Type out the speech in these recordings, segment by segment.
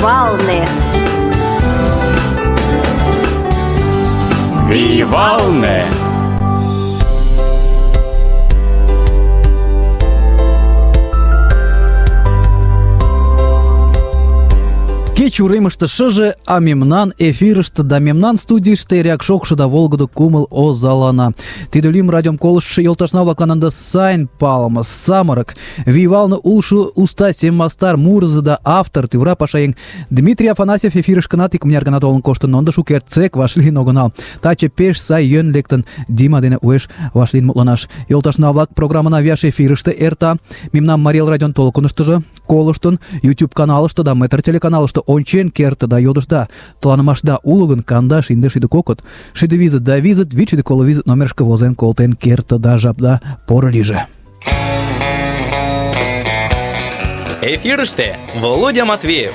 Вивалне. Вивалне. Кеч уремыште шыже, а мемнан эфирыште да мемнан студийыште эреак шокшо да волгыдо кумыл озалана. Тиде лӱм радиом колыштшо йолташна-влаклан ынде сайын палыме самырык, вийвалне улшо уста сем мастар, мурызо да автор, тӱвыра пашаеҥ Дмитрий Афанасьев эфирышкынат икмыняр гана толын коштын, но ынде шукертсек вашлийын огынал. Таче пеш сай йӧн лектын Дима дене уэш вашлийын мутланаш. Йолташна-влак, программана вияш эфирыште эрта. Мемнам Марий Эл радион толкыныштыжо колыштын, YouTube каналыште да Метр телеканалыште ончен керте да йодышда. Тыланымашда уло гын, 12-52, 6-20-20 номерышке возен колтен керте да жапда поро лийже. Эфирыште Володя Матвеев.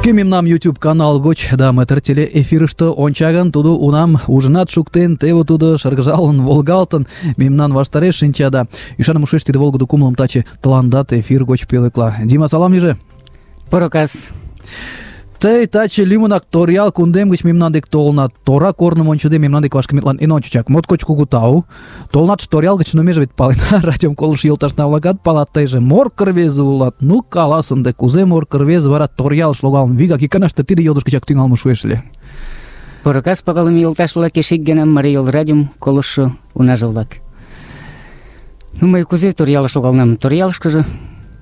Кӧ мемнам YouTube канал гоч да Метр теле эфирыште онча гын, тудо унам ужынат шуктен, теве тудо шыргыжалын, волгалтын, мемнан ваштареш шинча да ӱшаным ушеш тиде волгыдо кумылым таче тыландат эфир гоч пӧлекла. Дима, салам лийже. Поро кас. Тый таче лӱмынак Торъял кундем гыч мемнан дек толынат. Тора корным ончыде мемнан дек вашкыметлан эн ончычак моткоч кугу тау. Толынатше Торъял гыч, но меже вет палена, радиом колыштшо йолташна-влакат палат, тыйже морко рвезе улат. Ну, калас ынде, кузе морко рвезе вара Торъялыш логалын вигак иканаште тиде йодыш гычак тӱҥалме шуэш ыле. Поро кас, пагалыме йолташ-влак, эше ик гана Марий Эл радиом колыштшо унаже-влак. Ну, мый кузе Торъялыш логалынам? Торъялышкыже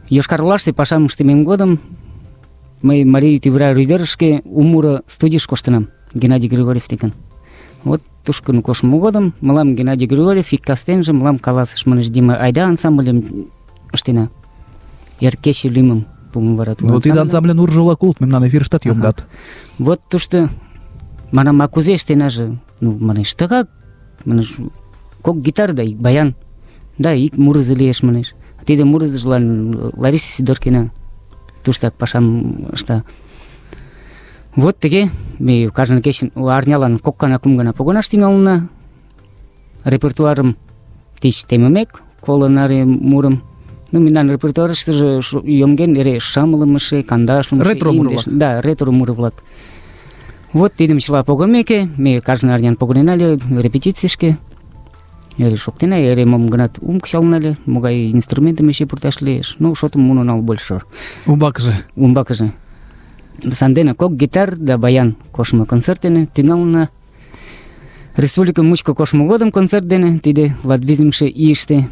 Йошкар-Олаште пашам ыштымем годым мый Марий тӱвыра рӱдерышке у муро студийыш коштынам, Геннадий Григорьев декен. Вот тушкын коштмо годым мылам Геннадий Григорьев ик кастенже мылам каласыш, манеш: Дима, айда ансамбльым ыштена. Эр кече лӱмым пуымо вара тудо. Ну, тиде ансамбльын уржо-влак улыт, мемнан эфирыштат йоҥгат. Вот тушто манам, а кузе ыштенаже? Ну, манеш, тыгак, манеш, кок гитар да ик баян, да ик мурызо лиеш, манеш. Тиде мурызыжлан Лариса Сидоркина туштак пашам ышта. Вот тыге ме кажне кечын арнялан кок гана, кум гана погонаш тӱҥалына. Репертуарым тич темымек, коло наре мурым. Ну, мемнан репертуарыштыже йомген эре шымлымыше, кандашлымыше, ретро муро-влак. Да, ретро муро-влак. Вот тидым чыла погымеке, ме кажне арнян погынена ыле репетицийышке. Эре шоктена, эре мом-гынат кычалына ыле, могай инструментым эше пурташ лиеш. Ну, шотым муно нал больше. Умбакыже. Сандене кок гитар да баян коштмо концерт дене тӱҥалына. Республика мучко коштмо годым концерт дене, тиде 25-ші ийыште.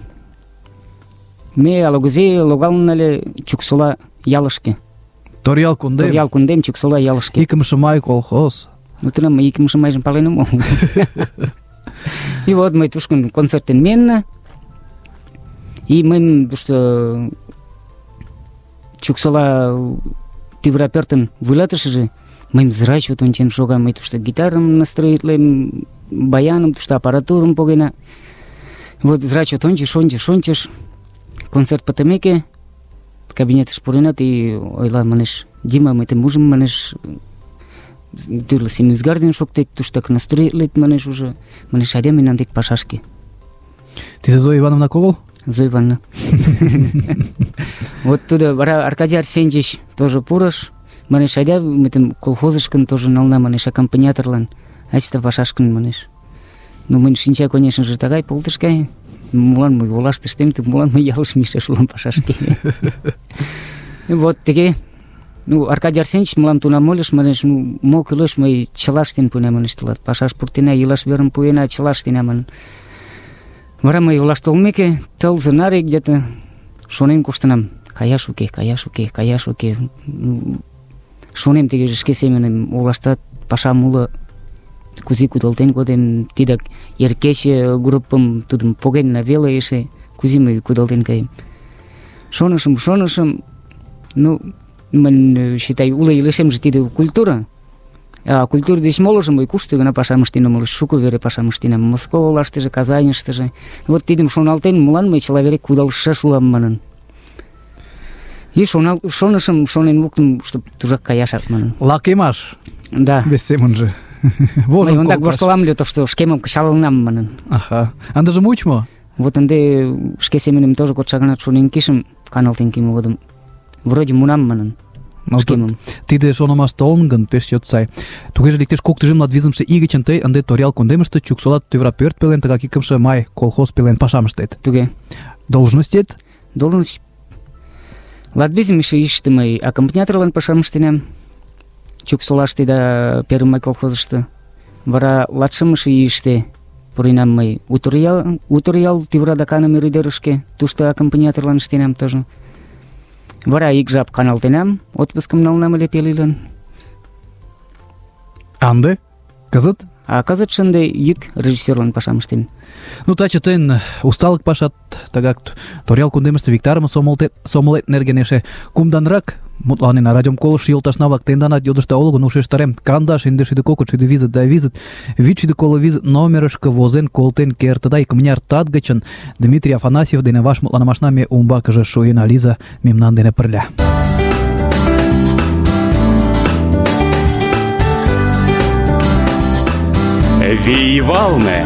Ме ала-кузе логалына ыле Чуксола ялышке. Торъял кундем, Чуксола ялышке. 2-ші май колхоз. Ну, тынам мый 2-ші майжым пален омыл. И вот мый тушкын концертен миенна. И мыйын тушто Чуксола тӱвыра пӧртын вуйлатышыже мыйым зрачот ончен шога. Мый тушто гитарым настроитлем, баяным, тушто аппаратурым погена. Вот зрачот ончыш. Концерт пытымеке кабинетыш пуренат и ойла, манеш: Дима, мый тыйым ужым, манеш, тӱрлӧ семын ӱзгар шоктет, туштак настроитлет, манеш, уже. Манеш, айда мемнан дек пашашке. Тиде Зоя Ивановна огыл? Зоя Ивановна. Вот тудо вара Аркадий Арсеньевич тоже пурыш. Манеш, айда мый тым колхозышкын тоже нална, манеш, аккомпаниаторлан. Айста пашашкын, манеш. Ну, мыйын шинча, конечно же, тыгай полтышкай. Молан мый олаште ыштем, молан мый ялыш мийышаш улам пашашке. Вот тыге. Ну, Аркадий Арсеньевич мылам тунам ойлыш, манеш, ну, мо кӱлеш, мый чыла ыштен пуэнам, манеш, тылат. Пашаш пуртена, илаш верым пуэна, чыла ыштена, манын. Вара мый олаш толмеке, тылзе наре где-то шонен коштынам. Каяш уке. Шонем тыге шке семынем, олаштат пашам уло, кузе кудалтен кодем, тидак эр кече группым тудым погенна веле эше, кузе мый кудалтен каем. Шонышым, ну, мын считай, уло илышемже тиде культура. А культура деч молыжым мый кушто гына пашам ыштен омыл, шуко вере пашам ыштенам, Москва олаштыже, Казаньыштыже. Вот тидым шоналтен, молан мый чыла вере кудалышаш улам манын. И шонышым, шонен луктым, чтоб тужак каяшак манын. Лакемаш. Да. Вес семынже. Вожым Мый ондак колташ. воштылам ыле, тошто шкемым кычалынам манын. Аха. Ындыже муыч мо? Вот ынде шке семынем тоже кодшо гынат шонен кишым каналтен кийыме годым. Вроде мунам манын. Ну, Шкемым. тиде шонымаш толын гын, пеш чот сай. Тугеже иктаж кок тӱжем латвизымше ий гычын тый ынде Торъял кундемыште Чуксола тӱвра пӧрт пелен, тыгак икымше май колхоз пелен пашам ыштет. Туге. Должностет? Должность Латвизимыше ийыште мый аккомпаниаторлан пашам ыштенам. Чуксолаште да Первый май колхозышто. Вара латшымше ийыште пуренам мый Уторъял тӱвра да каныме рӱдерышке. Тушто аккомпаниаторлан ыштенам тоже. Вара ик жап каналтенам, отпускым налынам ыле пел ийлан. А ынде? Кызыт? А кызытше ынде йӱк режиссёрлан пашам ыштем. Ну, таче тыйын усталык пашат тыгак Торъял кундемыште виктарыме сомылет нерген эше кумданрак мутланена. Радиом колыштшо йолташна-влак тенданат йодышда уло гын, ушештарем: 12 да визыт 750 номерышко возен колтен кертыда. Икмыняр тат гычын Дмитрий Афанасьев дене ваш мутланымашна ме умбакыже шуена. Лиза мемнан дене пырля. Вий-Валне.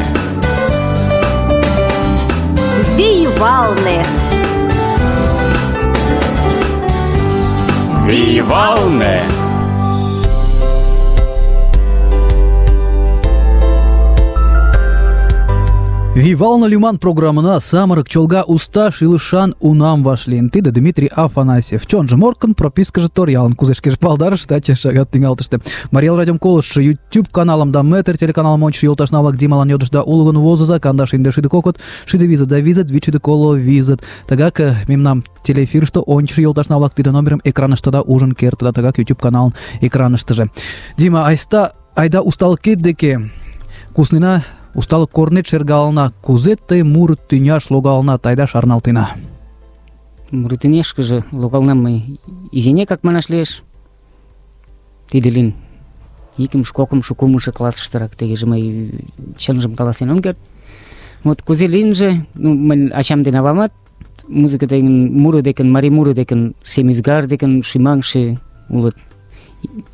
Вий-Валне. Вий-Валне. Вивална лиман программына самырык чолга уста шилышан унам вашлийын. Тиде Дмитрий Афанасьев. Чонжо Моркын, пропискыже Торъялын. Кузе шкеже палдарыш, таче шагат тӱҥалтыште. Марий Эл радиом колыштшо YouTube каналым да Метр телеканалым ончышо йолташна-влак Дималан йодышда уло гын, возыза 12 Тыгак мемнам телеэфирыште ончышо йолташна-влак тиде номерым экраныштыда ужын кертыда. Тыгак YouTube каналын экраныштыже. Дима, айда усталыкет деке куснена. Усталык корнет шергалына. Кузе тый муро тӱняш логалынат, айда шарналтена. Муро тӱняшкыже логалынам мый изинекак манаш лиеш. Тиде лийын икымше, кокымшо, кумшо классыштырак. Тегеже мый чынжым каласен ом керт. Вот кузе лийынже, мыйын ачам ден авамат музыка деген, муро декен, марий муро декен, семӱзгар декен шӱмаҥше улыт.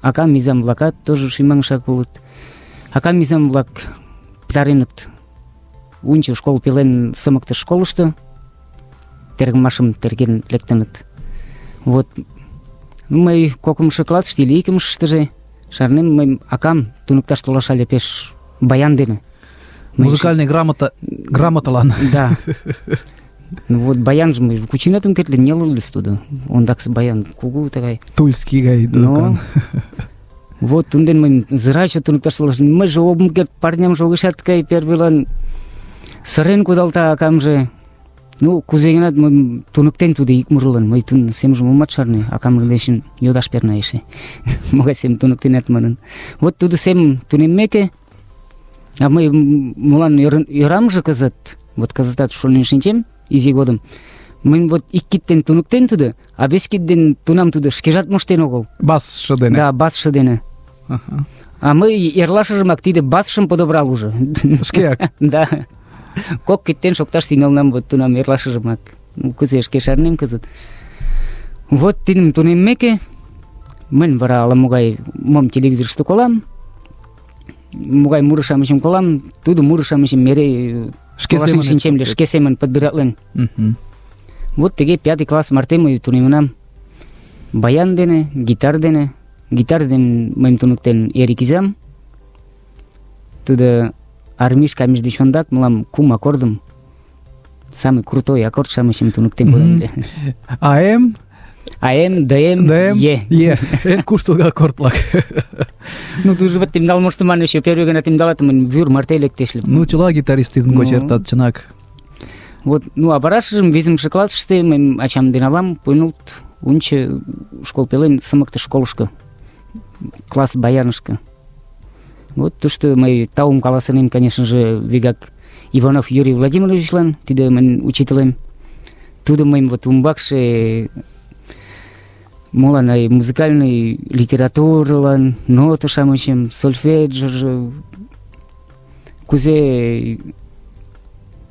Акам изам-влакат тоже шӱмаҥшак улыт. Акам изам-влак пытареныт унчо школ пелен сымыктыш школышто, тергымашым терген лектыныт. Вот мый кокымшо классыште или икымшыштыже шарнем, мый акам туныкташ толаша ыле пеш баян дене. Музыкальный грамоталан. Да. Вот баянже мый кучинетым кертле нелылыс тудо. Ондаксы баян кугу тыгай. Тульский гай докан. Вот тунден мый зырачо туныкташ толаш. Мыйже ом керт, парнямже огешат ткай первыйлан сырен кудалта акамже. Ну, кузе-гынат мый туныктен тудо ик мурылан. Мый тун семжым омат шарне, акамын дечын йодаш перна эше. Могай сем туныктенат манын. Вот тудо сем тунеммеке, а мый молан ӧрамже кызыт, вот кызытат шонен шинчем изи годым. Мый вот ик киттен туныктен тудо, а вес кидден тунам тудо шкежат моштен огыл. Басшы дене. Да, басшы дене. А мый эрлашыжымак тиде басшым подобрал уже. Шкеак. Да. Кок киттен шокташ тӱҥалнам вот тунам эрлашыжымак. Кузе шке шарнем кызыт. Вот тидым тунеммеке, мынь вара ала-могай мом телевизорышто колам, могай муро-шамычым колам, тудо муро-шамычым эре колашен шинчем ыле, шке семын подбиратлен. Вот теге 5 класс марте мый тунемынам. Баян дене, гитар дене. Гитар дене мыйым туныктен Эрик изам. Тудо армишкамыж деч ондак мылам кум аккордым, самый крутой аккорд-шамычым туныктен коден ыле. АМ, ДМ, Е. Эн куштылго аккорд-влак. Ну, тужо вот темдал моштыман еще первый гана темдалатымын вӱр марте лектеш ыле. Ну, чыла гитаристизм гоч эртат, чынак. Вот, ну, а варашыжым 5-шы классыште мыйым ачам ден авам пуйнылт унчо школ пелен сымыктыш школышко, класс баянышко. Вот тушто мый таум каласынем, конечно же, вигак Иванов Юрий Владимировичлан, тиде мыйын учителем. Тудо мыйым вот умбакше молан музыкальный литературылан, нота-шамычым, сольфеджыже, кузе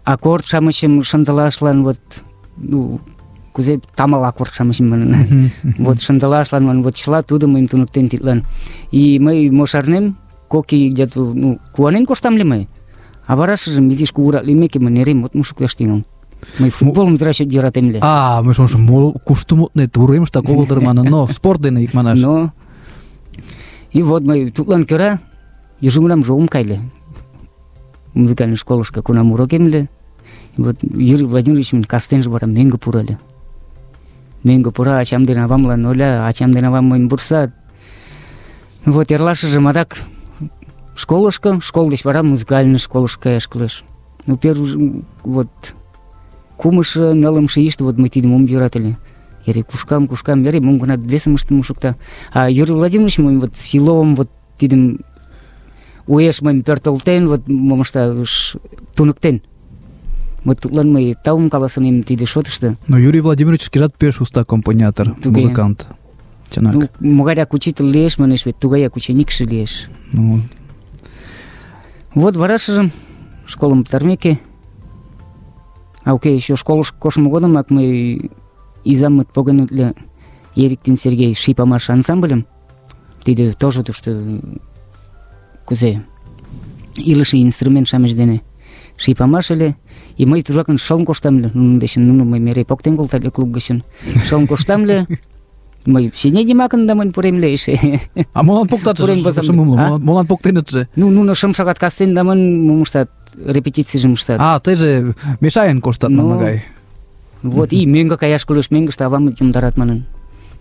аккорд-шамычым шындылашлан, вот, ну, кузе тамал аккорд-шамычым манын. Вот шындылашлан, вот чыла тудо мыйым туныктен тидлан. И мый мо шарнем, кок ий где-то, куанен коштам ли мый. А варашыжым изиш кугурак лиймеке, мый нерем мутым шукташ тӱҥалым. Мый футболым зрачет йӧратем ыле. Мый шонышым, кушто мутнет, уремыштак огыл дыр манын, но спорт дене икманаш. Но и вот мый тудлан кӧра южгунамже ом кайле. Музыкальный школышко кунам урокем ыле. Вот Юрий Владимирович мен кастенже вара мӧҥгӧ пура ыле. Мӧҥгӧ пура, ачам ден авамлан ойла, ачам ден авам мыйым вурсат. Вот эрлашыжым адак школышко, школ деч вара музыкальный школышко каяш кӱлеш. Первый вот кумышо, нылымше ийыште вот мый тидым ом йӧрате ыле. Эре кушкам, эре мом-гынат весым ыштыме шукта. А Юрий Владимирович мыйым вот силовым вот тидым уэш мыйым пӧртылтен, вот мом ышташ туныктен. Вот тудлан мый таум каласынем тиде шотышто. Но Юрий Владимирович шкежат пеш уста компонятор, музыкант. Чынак. Могайрак учитель лиеш, манеш, вет тугаяк ученикше лиеш. Вот варашыжым школым пытармеке, еще школыш коштмо годымак мый изаммыт погыныле Ериктин Сергей шипамаш ансамбльым. Тиде тоже тушто кузе илыше инструмент-шамыч дене шипамаш ыле. И мый тужакын шылын коштам ыле. Нунын дечын мый эре поктен колтат клуб гычын. Шылын коштам ыле. Мый сенедимакын да мынь пурем ле эше. А молан поктатше? Молан поктенытше? Нуно 5 шагат кастен да мынь мом ыштат, репетицийжым ыштат. Тыйже мешаен коштат манмагай. Вот и мӧҥгӧ каяш кӱлеш, мӧҥгыштӧ авам йомдарат манын.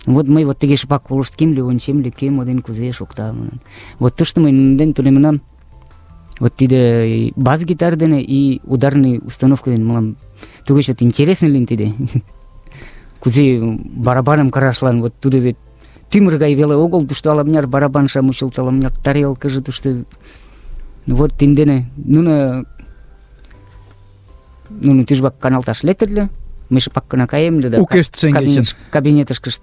Вот мый вот тыге шыпак колышткем ле, ончем ле, кӧ мо ден кузе шокта манын. Вот тыште мый нунын дене тунемынам. Вот тиде бас-гитар дене и ударный установка дене мылам тугеч вот интересный лийын тиде. Кузе барабаным кырашлан, вот тудо вет тӱмыр гай веле огыл, тушто ала-мыняр барабан-шам мучылт, ала-мыняр тарелкыже тушто. Вот тидын дене нуно тӱжвак каналташ лектыт ыле. Мый шыпак гына каем ыле да кабинетышкышт,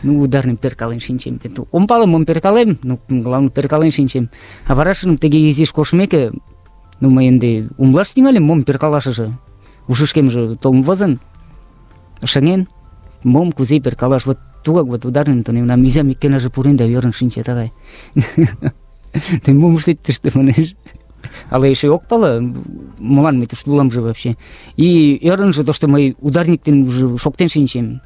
ударным перкален шинчем. Ом пале, мом перкалем, главное перкален шинчем. А варашыжым тыге изиш коштмеке, мый ынде умылаш тӱҥальым, мом перкалашыже. Ушышкемже толын возын, шыҥен, мом кузе перкалаш. Вот тугак вот ударным тунемынам, изам иккенаже пурен да ӧрын шинче тыгай. Тый мом ыштет тыште, манеш. Ала эше ок пале, молан мый тушто уламже вообще. И ӧрынжӧ тошто мый ударник дене уже шоктен шинчем.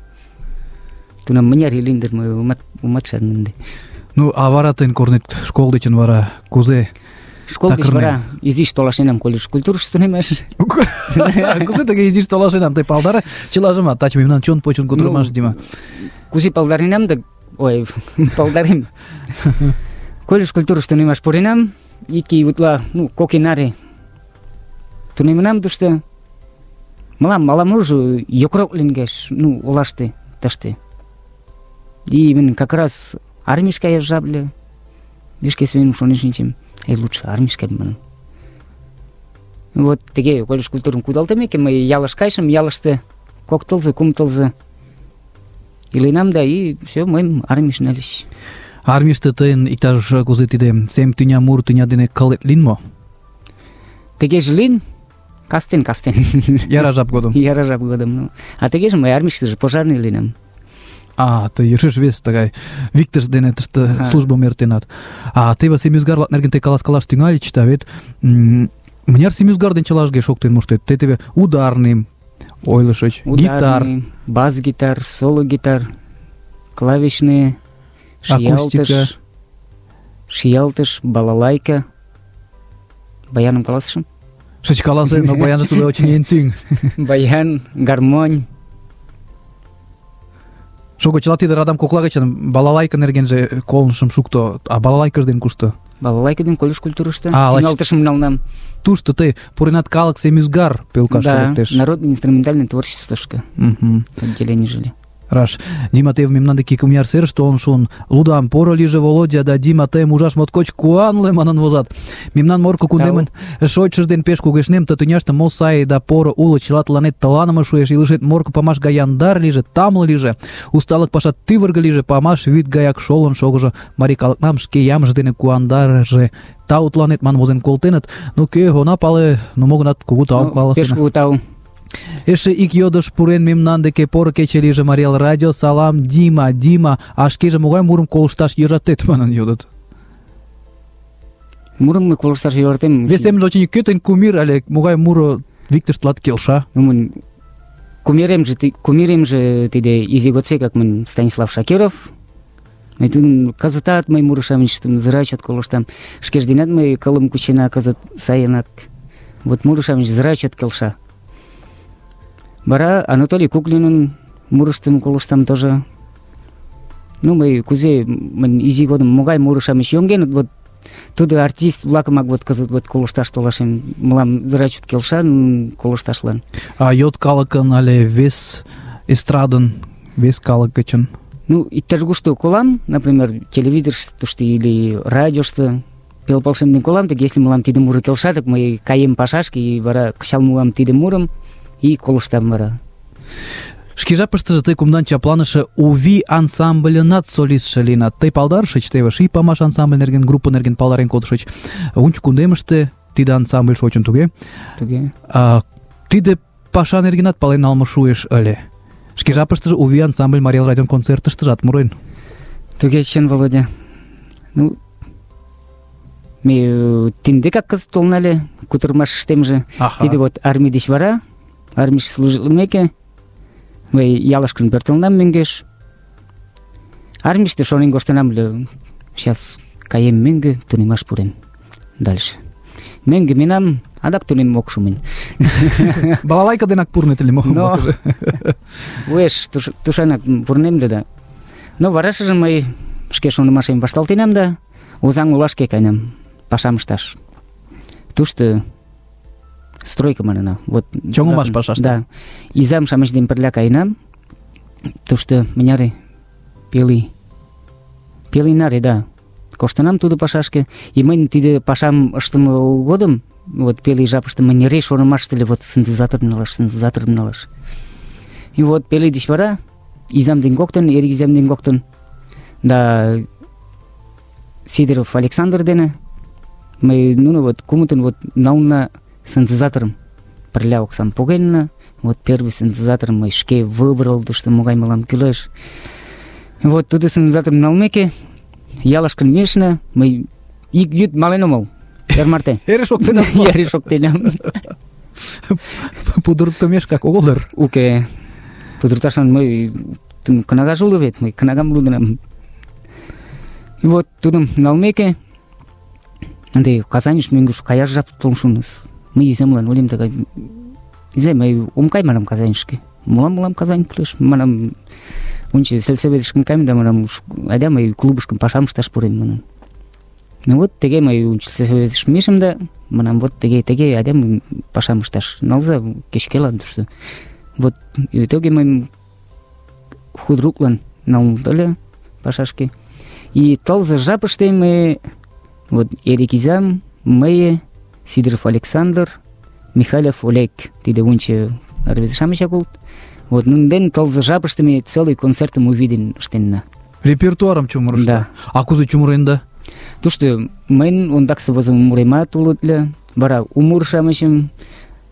Тунам мыняр ий лийын дыр, мый омат шарне ынде. А вара тыйын корнет школ дечын вара кузе? Школ деч вара изиш толашенам колледж культурышто тунемаш. Кузе тыге изиш толашенам? Тый палдаре чылажымат, таче мемнан чон почын кутырымаш, Дима. Кузе палдаренам да... Ой, палдарем. Колледж культурышто тунемаш пуренам. Ики утла, кок ий наре тунемынам тушто. Мылам ала-можо йокрок лийгеш, олаште, тыште. И именно как раз армийыш каяш жап ыле. Шке семынем шонен шинчем, лучше армийыш каем манын. Вот тыге колледж культурым кудалтымеке, мый ялыш кайышым, ялыште кок тылзе, кум тылзе иленам да, и все, мыйым армийыш нальыч. Армийыште тыйын иктаж кузе тиде сем тӱня мур тӱня дене кылет лийын мо? Тыгеже лийын, кастен. Яра жап годым. А тыгеже мый армийыштыже пожарный лийынам. Тый йӧршеш вес тыгай виктыш дене тыште службым эртенат. Теве семӱзгар-влак нерген тый каласкалаш тӱҥальыч, да вет мыняр семӱзгар ден чылажге шоктен моштет? Тый теве ударным ойлышыч, гитар, бас-гитар, соло-гитар, клавишные, шиялтыш, балалайка. Баяным каласышым? Шыч каласы, но баянже тудо очень эн тӱҥ. Баян, гармонь. Шого, чыла тиде радам кокла гычын балалайка нергенже колынышым шукто. А балалайкыж ден кушто? Балалайка ден колледж культурышто. Тӱҥалтышым налынам. Тушто тый пуренат калык семӱзгар пӧлкаш лектеш. Да, народное инструментальное творчествышко. Отделение жили. Раш. Дима, тый мемнан деке икмыняр серыш толын шуын. Лудам, поро лийже, Володя, да Дима, тыйым ужаш моткоч куанле манын возат. Мемнан Морко кундемын шочшыж ден пеш кугешнем, ты тӱняште мо сай да поро уло, чыла тыланет тыланыме шуэш, илышет Морко памаш гай яндар лийже, тамле лийже, усталык паша тӱвыргӧ лийже, памаш вӱд гаяк шолын шогыжо, марий калыкнам шке ямже дене куандарыже. Тау тыланет ман возен колтеныт. Кӧ она пале, мо-гынат кугу таум каласена. Пеш кугу тау. Эше ик йодыш пурен мемнан деке: поро кече лийже, Марий Эл радио, салам, Дима, а шкеже могай мурым колышташ йӧратет, манын йодыт. Мурым мый колышташ йӧратем. Вес семже очень кӧ тыйын кумир але могай муро виктыш тылат келша? Мын кумиремже тиде изи годсекак мын Станислав Шакиров. Мый тудын кызытат мый муро-шамычыштым зыра чот колыштам. Шкеж денат мый кылым кучена кызыт сайынак. Вот муро-шамыч зыра чот келша. Вара Анатолий Куклинын мурыштым колыштам тоже. Ну, мый кузе мын изи годым могай муро-шамыч йоҥгеныт, вот тудо артист-влакымак вот кызыт вот колышташ толашем. Мылам зыра чот келша колышташлан. А йот калыкын але вес эстрадын, вес калык гычын? Ну, иктаж-кушто колам, например, телевизорышто или радиошто пел полшемден колам, так если мылам тиде муро келша, так мый каем пашашке, и вара кычал муам тиде мурым, и колыштам вара. Шке жапыштыже тый кумдан чапланыше УВИ ансамбльынат солистше лийынат. Тый палдарышыч, теве Ший памаш ансамбль нерген, группа нерген палдарен кодышыч. Унчо кундемыште тиде ансамбль шочын, туге? Туге. Тиде паша нергенат пален налме шуэш ыле. Шке жапыштыже УВИ ансамбль Марий Эл радион концертыштыжат мурен. Туге, чын, Володя. Ну, ме тиндекак кызыт толын ыле, кутырымашыштемже. Тиде вот армий деч вара, армийыш служитлымеке, мый ялышкын пӧртылынам мӧҥгеш. Армийыште шонен коштынам ыле, сейчас каем мӧҥгӧ, тунемаш пурем. Дальше. Мӧҥгӧ миенам, адак тунем ок шу мынь. Балалайка денак пурнет ыле мо? Но уэш тушанак пурнем ыле да. Но варашыже мый шке шонымашем вашталтенам да Озаҥ олашке каенам пашам ышташ. Тушто стройка манына. Вот чоҥымаш пашаште. Да. Изам-шамыч дене пырля каенам. Тушто мыняре пел ий наре, да. Коштынам тудо пашашке. И мынь тиде пашам ыштыме годым, вот пел ий жапыште мынь эре шонымаште ыле, вот синтезаторым налаш. И вот пел ий деч вара изам ден коктын, Эрик изам ден коктын, да Сидоров Александр дене мый нуно вот кумытын вот нална синтезаторым пырля оксам погенна. Вот первый синтезаторым мый шке выбрал, тушто могай мылам кӱлеш. Вот тудо синтезаторым налмеке, ялышкын мийышна, мый ик йӱд мален омыл. Эр марте. Эре шоктенам. Эре шоктенам. Пудыртымешкак огыл дыр. Уке. Пудырташлан мый кнагаш уло вет, мый кнагам лудынам. И вот тудым налмеке, ынде Казаньыш мӧҥгыш каяш жап толын шуыныс. Мый иземлан ойлем тыгай: «Изе, мый ом кай, манам, Казаньышке. Молан Казань кӱлеш? Манам, онче сельсоветышкын кайым да, манам, айда мый клубышкын пашам ышташ пурем, манам». Ну вот теге мый онче сельсоветыш мийышым да, манам, вот теге айда мый пашам ышташ налза кечкелан тушто. Вот в итоге мый худруклан налын ыле пашашке. И тылзе жапыште мый вот Эрик изам, мый, Сидоров Александр, Михайлов Олег, тиде унче рвезе-шамычак улыт. Вот нунден тылзе жапыште ме целый концертым увиден ыштенна. Репертуарым чумырышта. Да. А кузе чумыренда? Тушто мыйын ондаксе возымо муремат улыт ыле, вара у муро-шамычым.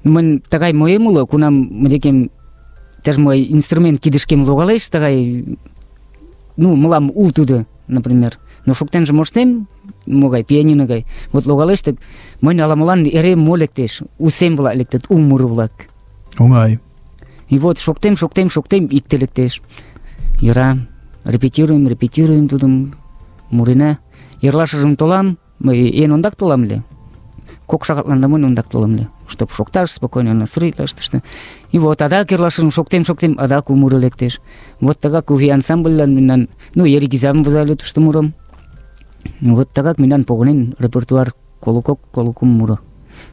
Мынь тыгай моем уло, кунам мынекем таж мой инструмент кидышкем логалеш, тыгай, ну, мылам у тудо, например. Но шоктенже моштем, могай пианино гай. Вот логалеш, так мынь ала-молан эре мо лектеш, у сем-влак лектыт, у муро-влак. Оҥай. И вот шоктем, икте лектеш. Йӧра, репетируем тудым, мурена. Эрлашыжым толам, мый эн ондак толам ыле. 2 шагатлан да мынь ондак толам ыле, чтоб шокташ спокойно настроитлаш тыште. И вот адак эрлашыжым шоктем, адак у муро лектеш. Вот тыгак УВИ ансамбльлан мемнан, ну, Эрик изам возале тушто мурым. Вот тыгак мемнан погынен репертуар коло-кум муро.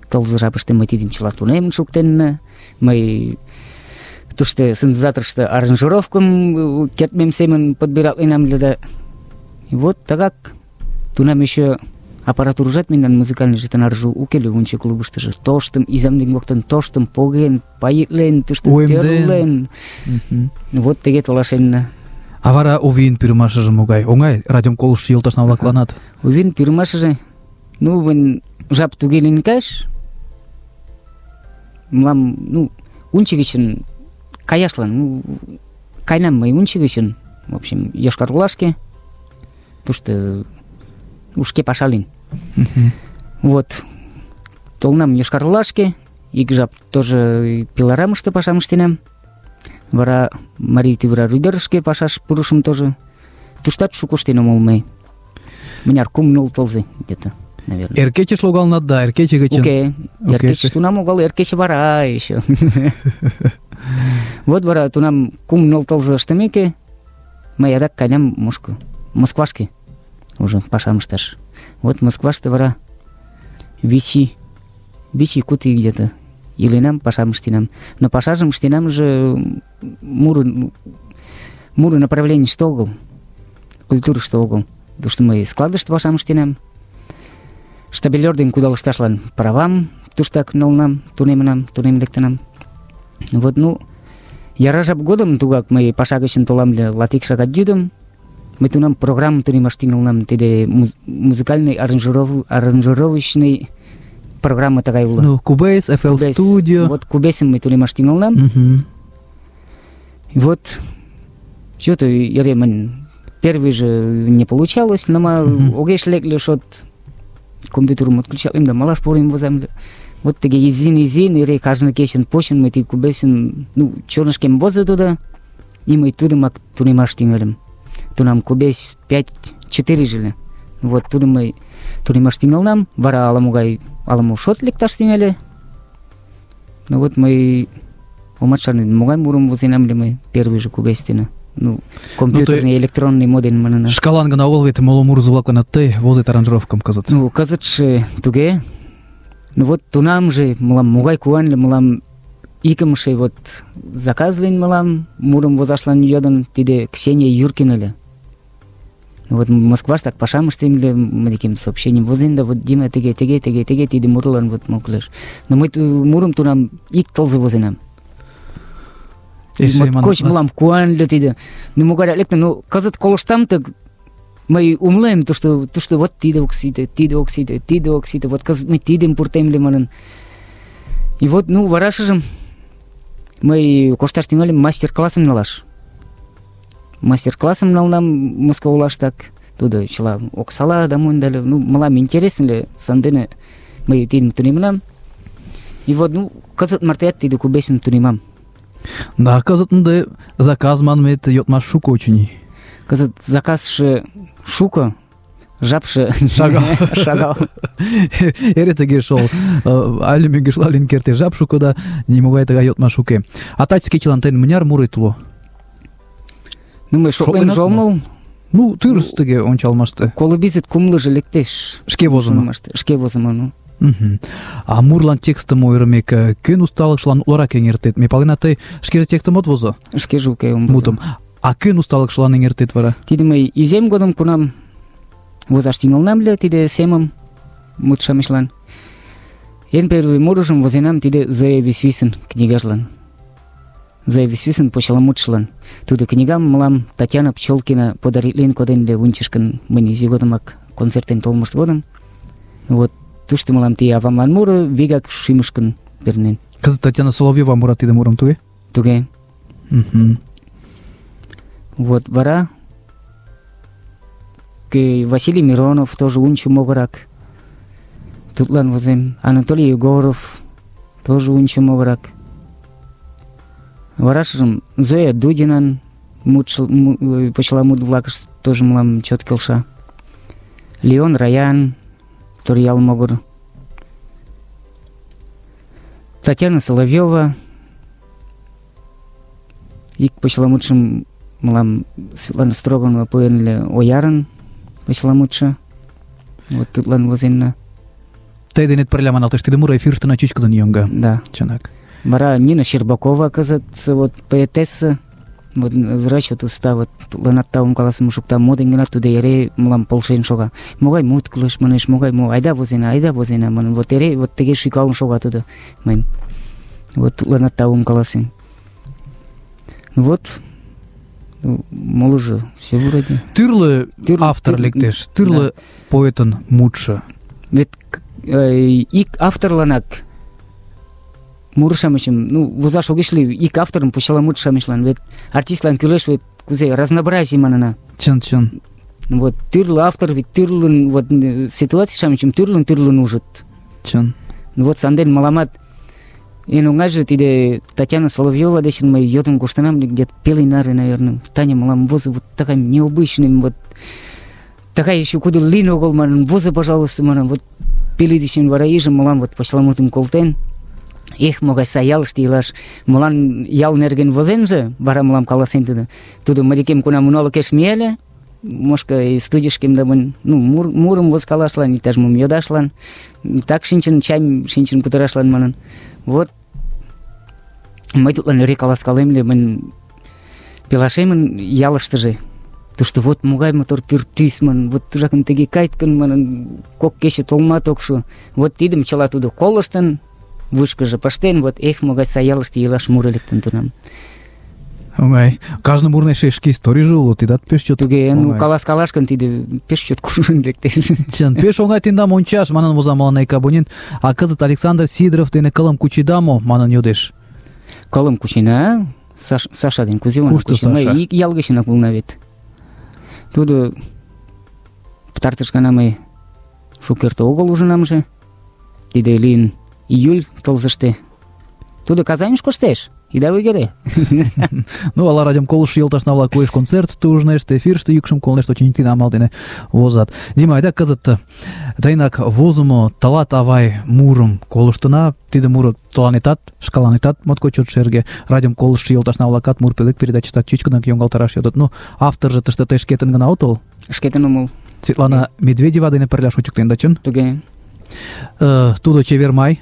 Тылзе жапыште мый тидым чыла тунемын шуктенна. Мый тушто синтезаторышто аранжировкым кертмем семын подбиралтленам ыле да. И вот тыгак тунам еще аппаратурыжат мемнан музыкальный жетонарже уке ыле унче клубыштыжо. Тоштым изам ден коктын тоштым поген, пайытлен, тушто тӧрлен. Вот теге толашенна. А вара УВИн пӱрымашыже могай? Оҥай радиом колыштшо йолташна-влакланат? УВИн пӱрымашыже, ну, мынь жап туге лийын кайыш. Мылам, ну, унче гычын каяшлан, ну, кайнам мый унче гычын, в общем, Йошкар-Олашке, тушто шке паша лийын. Вот. Толнам Йошкар-Олашке, ик жап тоже пилорамыште пашам ыштенам. Вара Марий Тӱвра Рӱдерышке пашаш пурышым тоже. Туштат шуко ыштен омыл мый. Мыняр 3-0 тылзе где-то, наверное. Эр кечеш логалнат да, эр кече гычын. Уке, эр кечеш тунам огыл, эр кече вара еще. Вот вара тунам 3-0 тылзе ыштымеке, мый адак каенам Москвашке уже пашам ышташ. Вот Москваште вара вичи куты где-то иленам, пашам ыштенам. Но пашажым ыштенам же муры направленийыште огыл, культурыште огыл. Потому что мый складыште пашам ыштенам. Штабелёр ден кудалышташлан правам туштак налынам, тунемынам, тунем лектынам. Вот, яра жап годым тугак мый паша гычын толам ыле латик шагат йӱдым. Мый тунам программым тунемаш тӱҥалынам. Тиде музыкальный аранжировочный программа тыгай уло. Cubase, FL Studio. Вот Cubase мый тунемаш тӱҥалынам. Вот что-то эре мынь первый же не получалось, но огеш лекле шот компьютерым отключалым да малаш порым возам. Вот тыге изин эре каждый кечын почын мый ти Cubase чорнышкем возо туда, и мый тудымак тунемаш тӱҥальым. Тунам Cubase 5.4 жиле. Вот тудым мый тунемаш тӱҥалынам, вара ала-мо шот лекташ тӱҥале. Вот мый омат шарнем, могай мурым возенам ыле мый первый же Cubase дене. Компьютерный электронный моден манына. Шкалан гына огыл вет моло мурызы-влакланат тый возет аранжировкам кызыт. Кызытше туге. Вот тунам же мылам могай куан ыле, мылам икымше вот заказлен мылам мурым возашлан йодын, тиде Ксения Юркина ыле. Вот Москваштак пашам ыштем ыле, мынекем сообщением возен да, вот Дима теге тиде мурлан вот моклеш. Но мый мурым тунам ик тылзе возенам. Коч мылам куан ыле тиде. Могайрак лектын, кызыт колыштам так мый умылем, то что вот тиде ок сите, вот кызыт мый тидым пуртем ыле манын. И вот, варашыжым мый кошташ тӱҥальым мастер-классым налаш. Мастер-классым налынам Москва-Олаштак. Тудо чыла оксала да монь дале. Мылам интересно ыле, сандене мый тидым тунемынам. И вот, кызыт мартеат тиде Cubase-ым тунемам. Да, кызыт ынде заказ манмет йодмаш шуко очыни. Кызыт заказше шуко, жапше шагал. Эре тыге шол. Але мӧҥгешлален керте жап шуко да нимогай тыгай йодмаш уке. А таче кечылан тыйын мыняр мурет уло? Мый шотленже омыл. Тӱрыс тыге ончалмаште. Коло бизет кумлыжо лектеш. Шке возымо. Шке возымо. А мурлан текстым ойырымек, кӧн усталыкшылан утларак эҥертет? Ме палена, тый шкеже текстым от возо? Шкеже уке ом возо. Мутым. А кӧн усталыкшылан эҥертет вара? Тиде мый изем годым кунам возаш тӱҥалынам ыле, тиде семым мут-шамычлан. Эн первый мурыжым возенам тиде Зоя Висвисын книгажлан. Зоя Висвисын почеламутшылан. Тудо книгам мылам Татьяна Пчелкина подаритлен коден ыле Унчышкын мынь изи годымак концертен толмышт годым. Вот тушто мылам тие авамлан муро вигак шӱмышкын пернен. Кызыт Татьяна Соловьева мура тиде мурым, туге? Туге. Вот вара Василий Миронов тоже унчо могырак. Тудлан возем. Анатолий Егоров тоже унчо могырак. Варашыжым Зоя Дудинан почеламут-влакышт тоже мылам чот келша. Леон Раян Торъял могыр. Татьяна Соловьева. Ик почеламутшым мылам Светлана Строганова пуэн ыле Оярын почеламутшы. Вот тудлан возенна. Тый денет пырля маналтеш, тиде муро эфирыштына чӱчкыдын йоҥга. Да. Чынак. Вара Нина Щербакова кызыт вот поэтесса. Вот врач вот уста вот тудланат таум каласым шукта, моден гына тудо эре мылам полшен шога. Могай мут кӱлеш манеш, могай айда возена манын. Вот эре вот тыге шӱкалын шога тудо мыйым. Вот тудланат таум каласем. Вот молыжо все вроде. Тӱрлӧ автор лектеш, тӱрлӧ поэтын мутшо. Вет ик авторланак мур-шамычым, возаш огеш лий, ик авторым почеламут-шамычлан, вет артистлан кӱлеш вет кузе разнообразий манына. Чын. Вот тӱрлӧ автор вет тӱрлын вот ситуаций-шамычым тӱрлын ужыт. Чын. Вот санден мыламат эн оҥайже тиде Татьяна Соловьева дечын мый йодын коштынам где-то пелый наре, наверное. Таня мылам возо вот такая необычная, вот такая еще куда лин огыл манын, возо, пожалуйста, манын, вот пелый дечын вара иже мылам вот почеламутым колтен. Эх, могай сай ялыште илаш. Мылам ял нерген возенже, вара мылам каласен тудо. Тудо мый кунам уналыкеш мияле, мошка студийышкем да мынь, мурым возкалашлан, иктаж-мом йодашлан, так шинчын, чайым шинчын кутырашлан манын. Вот мый тудлан эре каласкалем ыле, мынь пелашемын ялыштыже. Тушто вот могай мотор пӱртӱс, манын, вот тужакын тыге кайткын, манын, кок кече толмат ок шу. Вот тидым чыла тудо колыштын, вуйышкыжо пыштен, вот эх, могай сай ялыште илаш муро лектын тунам. Оҥай. Кажне мурын эше шке историйже уло, тидат пеш чот. Туге, каласкалаш гын, тиде пеш чот кужун лектеш. Чын, пеш оҥай тендам ончаш, манын воза мыланна ик абонент. А кызыт Александр Сидоров дене кылым кучеда мо, манын йодеш. Кылым кучена, Саша ден кузе онын Кушто кучена. Саша? Мый ик ял гычынак улна вет. Тудо пытартыш гана мый шукерте огыл ужынамже. Тиде лийын июль тылзыште. Тудо Казаньыш коштеш. Ида ойгыре. Ну, ала радиом колыштшо йолташна-влак уэш концертыште ужнешт, эфирыште йӱкшым колнешт, очыни амал дене возат. Дима, айда кызыт тыйынак возымо «Тылат, авай» мурым колыштына. Тиде муро тыланетат, шкаланетат моткоч чот шерге. Радиом колыштшо йолташна-влакат мур пӧлек передачыштат чӱчкыдынак йоҥгалтараш йодыт. Ну, авторжо тыште тый шкетын гына отыл? Шкетын омыл. Светлана Медведева дене пырля шочыктен да чын? Туге. Тудо «Чевер май»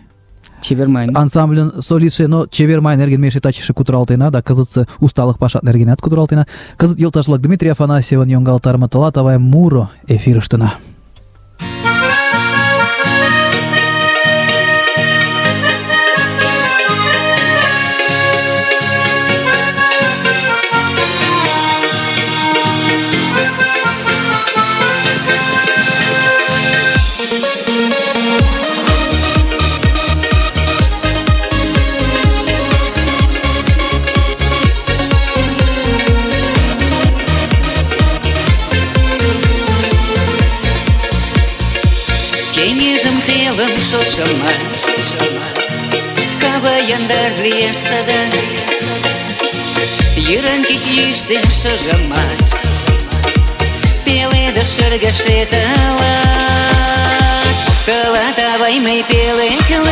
Чевер май. ансамбльын солистше, но «Чевер май» нерген ме эше тачыше кутыралтена, да кызытсе усталык пашат нергенат кутыралтена. Кызыт йолташ-влак Дмитрий Афанасьевын йоҥгалтарыме «Тылат, авай» муро эфирыштына. Шошыма, кава яндар лиеш сада, йырын кеч йӱштен шыжымат, пеледыш шыргыжет тылат. Тылат, авай, мый пӧлеклем,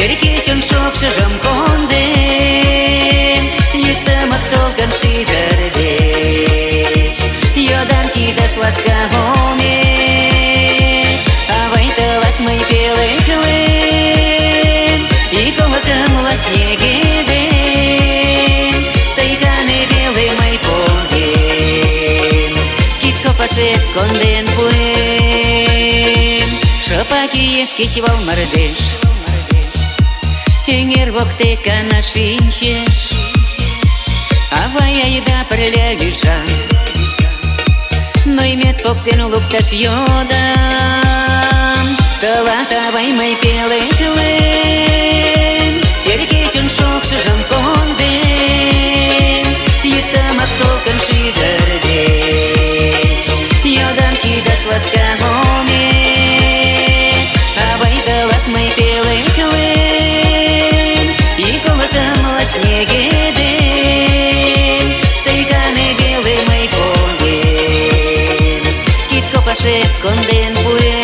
эр кечын шокшыжым кондем, йӱктымак толкын шӱдыр деч, йодам кидыш ласка омет. Авай, тылат мый пӧлеклем, ик олыкымла снегедем, тый гане веле мый погем, кид копашет конден пуэм. Шыпак иеш кечывал мардеж, эҥер воктек гына шинчеш. Авай, айда пырля лӱжам, ноймет поктен лукташ йодам. Тылат, авай, мый пӧлеклем, эр кечын шокшыжым кондем, йӱктымак толкын шӱдыр деч, йодам кидыш ласка омет. Авай, тылат мый пӧлеклем, ик олыкымла снегедем, тый гане веле мый погем, кид копашет конден пуэм.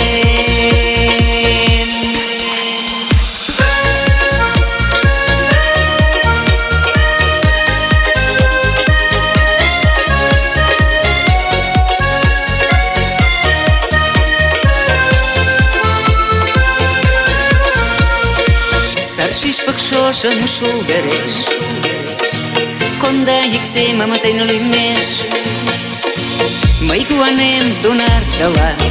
Шӱшпык шошым шулдыреш, конда йӱк семым тыйын лӱмеш. Мый куанем тунар тылат,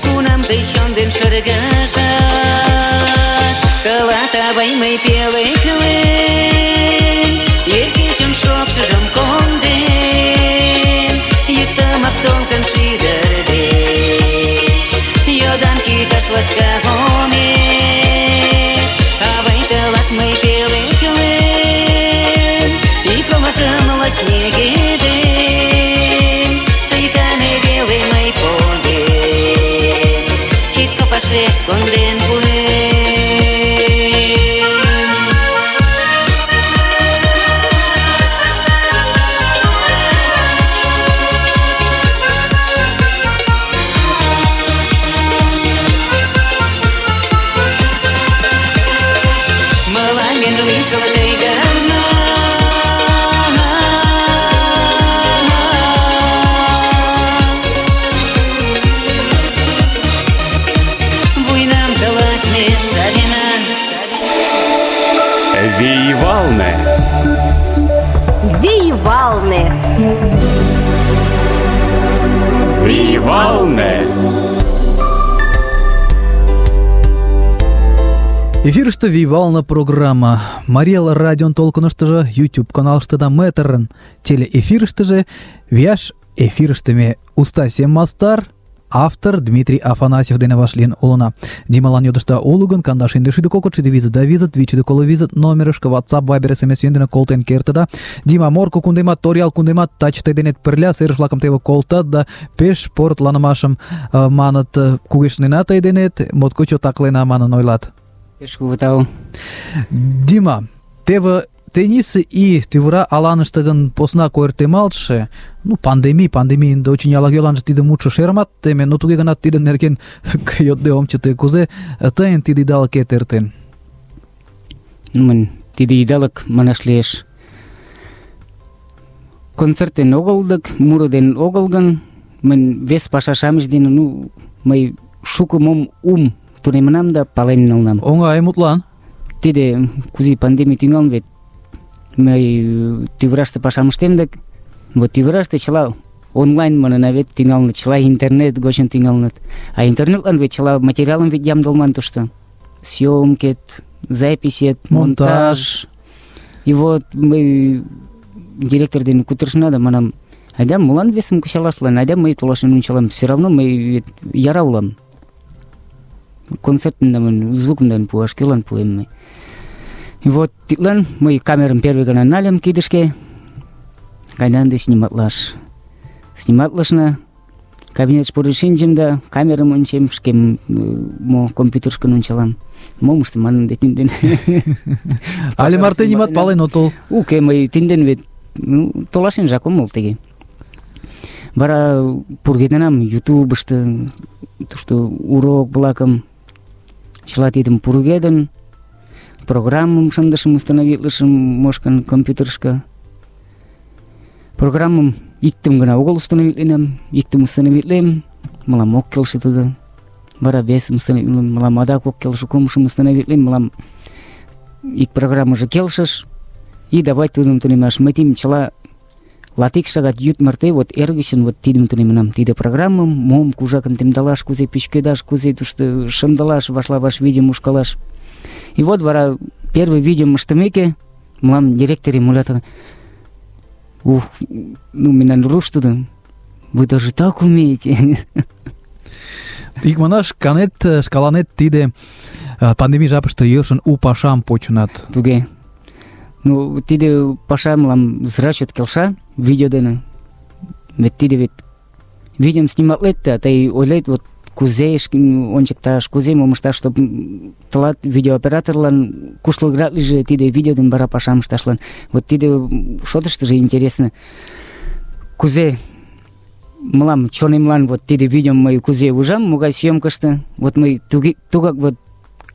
кунам тый чон ден шыргыжат. Тылат, авай, мый пӧлеклем, эр кечын шокшыжым кондем, йӱктымак толкын шӱдыр деч, йодам кидыш ласка омет. Авай, тылат мый пӧлеклем, ик олыкымла снегедем, пашет конден пуэм. Мыланем лишыл тый гына, вуйнам тылат ме савена. Виевалне. Виевалне. Виевалне. Эфирышты Виевална программа. Мариэл радион толкыныштыжы, YouTube каналыштыда метрын. Телеэфирыштыжы, вияш эфирыштыме Устасем Мастар, автор Дмитрий Афанасьев дене вашлин улына. Дималан йодышта улугын, кандаш индешиды кокотшиды визит да визит, вичиды коло визит, номерышка, WhatsApp, Viber, SMS йөндене колтен кертыда. Дима морко кундемат, торял кундемат, тачтай денет пырля, серыш-влакым теве колтат да пеш портланымашым маныт кугешнена тый денет, моткоч отаклена манын ойлат. Пеш кугу тау. Дима, теве теннисы и тывыра аланыштыгын посна койыртемалтше, ну, пандемийинде очень ялагеланже тиде мутшо шермат теме, но туге гынат тидын нерген йодде ом чыте. Кузе тыйын тиде идалыкет эртен? Мын тиде идалык манаш лиеш. Концертен огыл дык, муро ден огыл гын, мын вес паша-шамыч дене, ну, мый шуко мом тунемынам да пален налынам. Оңай мутлан. Тиде кузи пандемий тӱҥалын вет. Мый тӱвыраште пашам ыштем дык, вот тӱвыраште чыла онлайн манына вет тӱҥалыныт, чыла интернет гочын тӱҥалыныт. А интернетлан вет чыла материалым вет ямдылман тушто. Съёмкет, записет, монтаж. И вот мый директор дене кутырышна да манам, айда молан весым кычалашлан, айда мый толашен ончалам, все равно мый яра улам. Концертын звукым пуаш кӧлан пуэм мый. И вот тидлан мый камерым первый гана нальым кидышке, кайдан да сниматлаш. Сниматлышна, кабинетыш пурен шинчым да камерым ончем, шке мо компьютерышкын ончалам. Мом ыштем манын да тинден. Але марте нимат пален отыл. Уке, мый тинден вет толашенжак омыл теге. Вара пургеденам ютубышты, тушто урок-влакым, чыла тидым пургедын, программым шындышым, установитлышым мошкан компьютерышка. Программым иктым гына огыл установитленам, иктым установитлем, мылам ок келше тудо. Вара весым установитлем, мылам адак ок келше, кумшым установитлем, мылам ик программыже келшыш, и давай тудым тунемаш. Мый тим чыла латик шагат йӱд марте вот эр гычын вот тидым тунемынам. Тиде программым мом кужакын темдалаш, кузе пӱчкедаш, кузе тушто шындылаш, вашла-ваш видеом ушкалаш. И вот вара первый видеом ыштымеке, мылам директорем ойлат: ух, ну мемнан руш тудо, вы даже так умеете. Икманаш, канет, шкаланет тиде пандемий жапыште йӧршын у пашам почынат. Туге. Ну, тиде паша мылам зрачот келша, видео дене. Вет тиде вет видеом сниматлет, а тый ойлет, вот кузе ончыкташ, кузе мом ышташ, чтоб тылат видеооператорлан куштылгырак лийже тиде видео ден вара пашам ышташлан. Вот тиде шотыштыжо интересно. Кузе мылам чонемлан вот тиде видеом мый кузе ужам, могай съёмкышто, вот мый тугак вот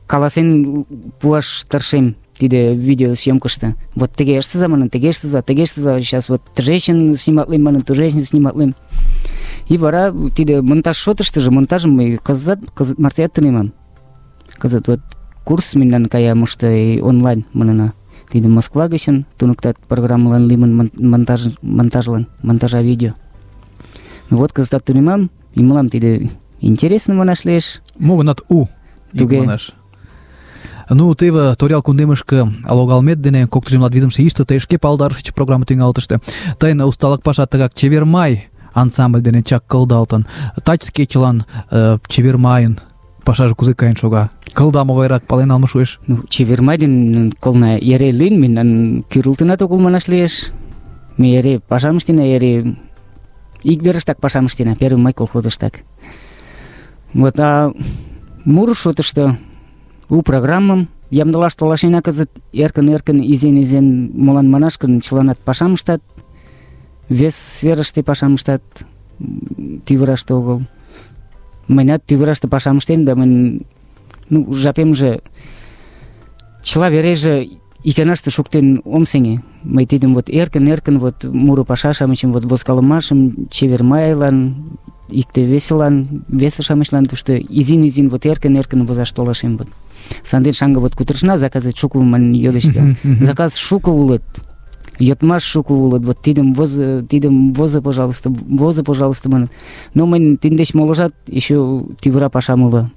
каласен пуаш тыршем тиде видеосъёмкышто. Вот теге ыштыза манын, теге ыштыза, сейчас вот тужешин сниматлем манын, тужешин сниматлем. И вара тиде монтаж шотыштыжо, монтажым мый кызыт мартеат тунемам. Кызыт вот курс мемнан кая мошто онлайн манына. Тиде Москва гычын туныктат программалан лимын монтажа видео. Вот кызытат тунемам, и мылам тиде интересно манаш лиеш. Могынат у, икманаш. Ну, теве торял кундемышке логалмет дене коктыжым латвизымше ийыште тый шке палдарышыч программа тӱҥалтыште. Тыйын усталык паша тыгак «Чевер май» ансамбль дене чак кылдалтын. Тач скетчылан «Чевер майын» пашаже кузе каен шога? Кылда могайрак пален налме шуэш? Ну, «Чевер май» ден кылна эре лийын, мемнан кӱрылтынат огыл манаш лиеш. Ме эре пашам ыштена, эре ик верыштак пашам ыштена, 1 май колхозыштак. Вот, Муро шотышто у программым ямдылаш толашена кызыт эркын-эркын, изин-изин, молан манаш гын, чыланат пашам ыштат, вес сферыште пашам ыштат, тӱвыраште огыл. Мыйнат тӱвыраште пашам ыштем, да мыйын жапемже чыла вереже иканаште шуктен ом сеҥе. Мый тидым вот эркын-эркын вот муро паша-шамычым, вот возкалымашым, чевер майлан, икте-весылан, весе-шамычлан тушто изин-изин вот эркын-эркын возаш толашем. Вот. Санден шаҥге вот кутырышна, заказет шуко манын йодышда. Заказ шуко улыт, йодмаш шуко улыт, вот тидым возо, пожалуйста, маныт. Но мыйын тиддеч моложат еще тӱвыра пашам уло.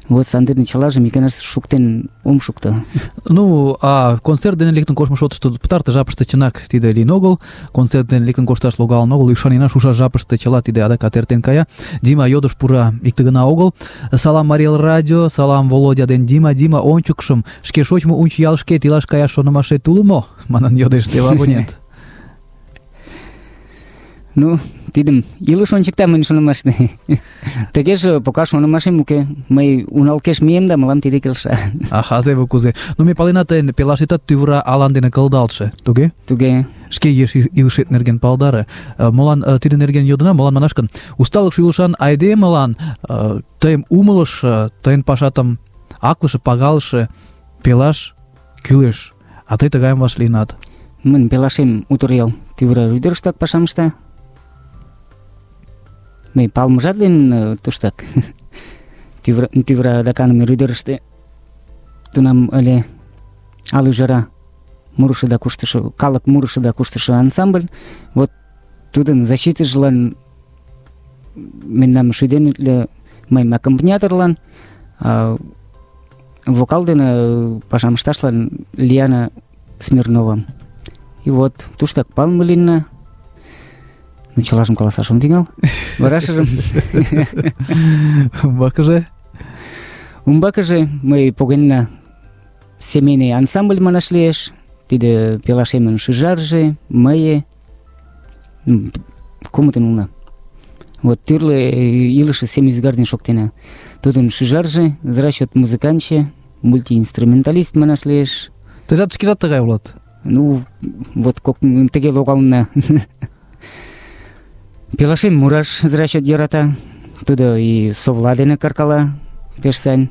Вот санден чылажым иканаште шуктен ом шукто. Ну, а концерт дене лектын коштмо шотышто пытарте жапыште чынак тиде лийын огыл, концерт дене лектын кошташ логалын огыл, ӱшанена шушаш жапыште чыла тиде адакат эртен кая. Дима йодыш пура икте гына огыл. Салам Марий Эл радио, салам Володя ден Дима. Дима, ончыкшым шке шочмо Унчи ялышкет илаш каяш шонымашет уло мо? Манын йодеш теве абонент. Ну, тидым илыш ончыкта мыйын шонымаште. Тыгеже пока шонымашем уке. Мый уналкеш мием да мылам тиде келша. Аха, теве кузе. Ну, ме палена тыйын пелашетат тӱвыра алан дене кылдалтше, туге? Туге. Шке еш илышет нерген палдары. Молан тиде нерген йодына, молан манаш гын, усталыкше илышан айдемылан тыйым умылыш, тыйын пашатым аклыше, пагалыше пелаш кӱлеш. А тый тыгайым вашлийынат. Мыйын пелашем утыр ел тӱвыра ӱдырыштак пашам ышта. Мый палымыжат лийын туштак. Тӱвыра адаканыме ӱдырыштӧ тунам ыле ал ӱжара мурышо да куштышо, калык мурышо да куштышо ансамбль. Вот тудын защитыжлан мемнам шӱден ыле, мыйым аккомпаниаторлан, вокал дене пашам ышташлан Лиана Смирнова. И вот туштак палыме лийна. Ну, чылажым каласаш ом тӱҥал. Варашыжым умбакыже мый погенна семейный ансамбль манаш лиеш. Тиде пелашемын шӱжарже, мые, кумытын улна. Вот тӱрлӧ илыше сем ӱзгар дене шоктена. Тудын шӱжарже, за расчет музыкантче, мультиинструменталист манаш лиеш. Тыйжат шкежат тыгай улат? Ну, вот тыге логална. Пелашем мураш за расчет йӧрата. Тудо и совла дене каркала пеш сайын,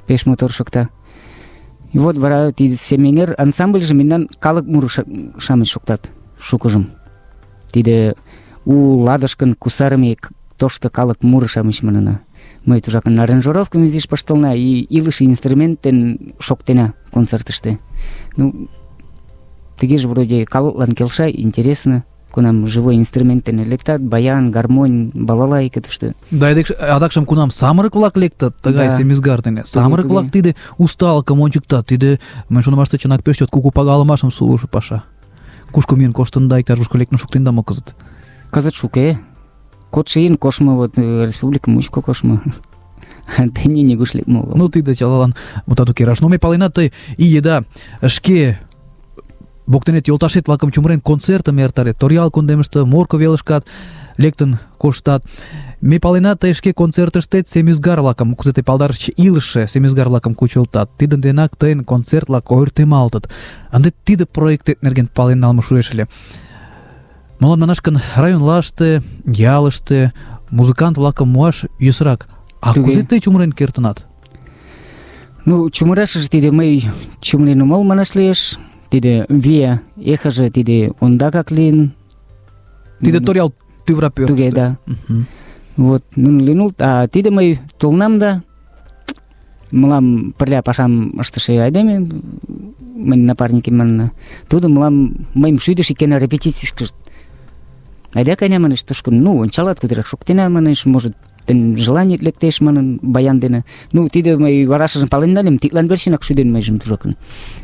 пеш мотор шокта. И вот вара тиде семейный ансамбльже мемнан калык муро-шамыч шоктат шукыжым. Тиде у ладышкын кусарыме тошто калык муро-шамыч манына. Мый тужакын аранжировкым изиш пыштылна и илыше инструмент дене шоктена концертыште. Ну, тыгеже вроде калыклан келша, интересно. Кунам живой инструмент дене лектат, баян, гармонь, балалайка тушто. Да, адакшым кунам самырык-влак лектат тыгай семӱзгар дене. Самырык-влак тиде усталыкым ончыктат, тиде, мый шонымаште, чынак пеш чот кугу пагалымашым сулыжо паша. Кушко миен коштында, иктаж-кушко лектын шуктенда мо кызыт? Кызыт шуке. Кодшо ийын коштмо, вот республика мучко коштмо. Тений нигуш лекме огыл. Ну, тиде чылалан мутат уке раш. Но ме палена, тый ий еда шке воктенет йолташет-влакым чумырен концертым эртарет, Торъял кундемыште, Морко велышкат лектын коштат. Ме палена, тый шке концертыштет семӱзгар-влакым, кузе тый палдарыш, илыше семӱзгар-влакым кучылтат. Тидын денак тыйын концерт-влак ойыртемалтыт. Ынде тиде проектет нерген пален налме шуэш ыле. Молан манаш гын, районлаште, ялыште музыкант-влакым муаш йӧсырак. А кузе тый чумырен кертынат? Ну, чумырашыже тиде мый чумырен омыл манаш лиеш. Тиде вия эхыже тиде ондакак лийын. Тиде Торъял тӱвыра пӧртыштӧ. Туге, да. Вот, нуно лийын улыт. А тиде мый толынам да, мылам пырля пашам ыштыше айдеме, мыйын напарникем манына, тудо мылам мыйым шӱдыш икана репетицийышкышт. Айда кайна, манеш, тушко, ну, ончалат, кудерак шоктена, манеш, может, тен желание лектеш, манын, баян дене. Ну, тиде мый варашыжым пален нальым, тидлан верчынак шӱден мыйжым тужакын.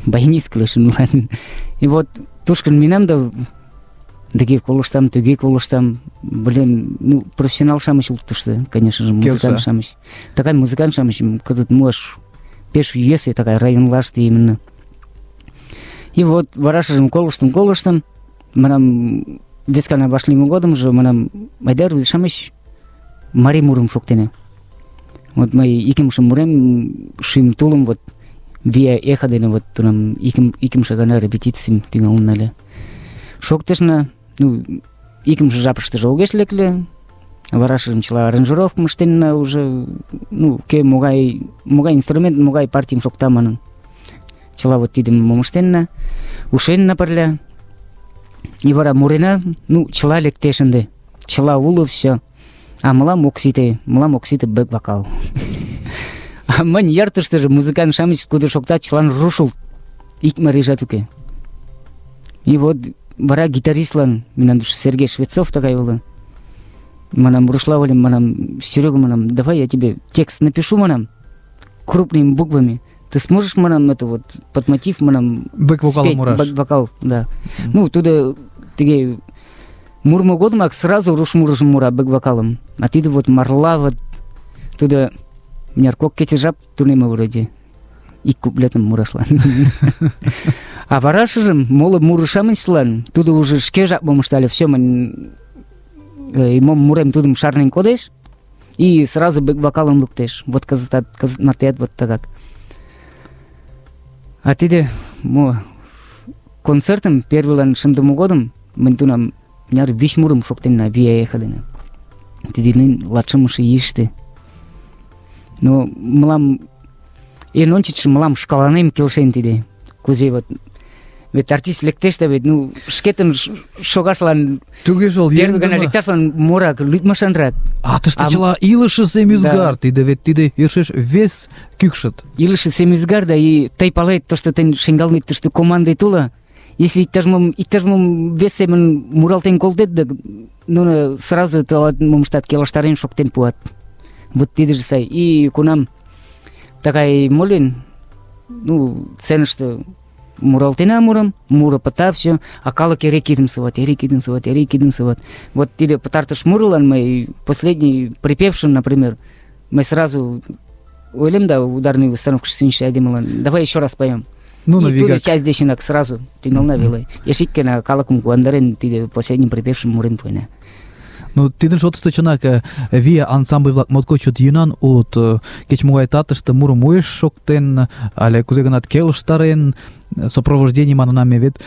Баянист кӱлешын мылам. И вот тушкын минам да тыге колыштам, туге колыштам. Блин, ну, профессионал-шамыч улыт тушто, конечно же, музыкант-шамыч. Такай музыкант-шамычым кызыт муаш пеш йӧсӧ, такай районлаште именно. И вот варашыжым колыштым, манам, вескана вашлийме годымжо, манам, айда рвезе-шамыч марий мурым шоктена. Вот мый икымше мурем шӱм тулым вот вия эхо дене вот тунам икымше гана репетицийым тӱҥалын ыле. Шоктышна, икымше жапыштыже огеш лекле, варашыжым чыла аранжировкым ыштенна уже, кӧ могай инструмент, могай партийым шокта манын. Чыла вот тидым мом ыштенна, ушенна пырля. И вара мурена, чыла лектеш ынде. Чыла уло, все. А мылам ок сите бэк-вокал. А мынь йыртыштыже музыкант-шамыч кудо шоктат, чылан руш улыт. Ик марийжат уке. И вот вара гитаристлан, мемнан Сергей Швецов тыгай уло. Манам, рушла ойлем, манам, Серега, манам, давай я тебе текст напишу, манам, крупными буквами. Ты сможешь, манам, это вот под мотив, манам, бэк-вокал мураш. Бэк-вокал, да. Туда тыге мурмо годымак сразу руш мурыжым мура бэк-вокалым. А тиде вот марла вот туда мыняр кок кече жап тунема вроде. Ик куплетым мурашлан. А варашыжым моло мурышамычлан тудо уже шке жапым ыштале. Все, мом мурем тудым шарнен кодеш и сразу бэк-вокалым луктеш. Вот кызыт мартеат вот тыгак. А тиде концертым первыйлан шындыме годым мынь тунам мыняр 5 мурым шоктенна вия эхо дене. Тидилин латшымыше ийыште. Но мылам эн ончычшо мылам шкаланем келшен тиде. Кузе вот вет артист лектеш да вет шкетын шогашлан туге жол первый гана лекташлан мурак лӱдмашанрак. А тыште чыла илыше семӱзгар, тиде вет тиде йӧршеш вес кӱкшыт. Илыше семӱзгар да и тый палет, тошто тыйын шеҥгелнет тыште командет уло. Если иктаж-мом вес семын муралтен колтет, да нуно сразу тылат мом ыштат, келыштарен шоктен пуат. Вот тидыже сай. И кунам тыгай молен, сценыште муралтена мурым, муро пыта все, а калык эре кидымсыват. Вот тиде пытартыш мурылан мый последний припевшим, например, мы сразу ойлем, да, ударный установка шинче айдемылан, давай еще раз поем. И туда часть дешинак сразу тӱҥална веле. Ешиккена калыкым куандарен тиде последним припевшим мурен пуэна. Тидын шотышто чынак вия ансамбль-влак моткоч чот йӧнан улыт. Кеч-могай татыште мурым уэш шоктен, але кузе-гынат келыштарен, сопровождений манына ме вет,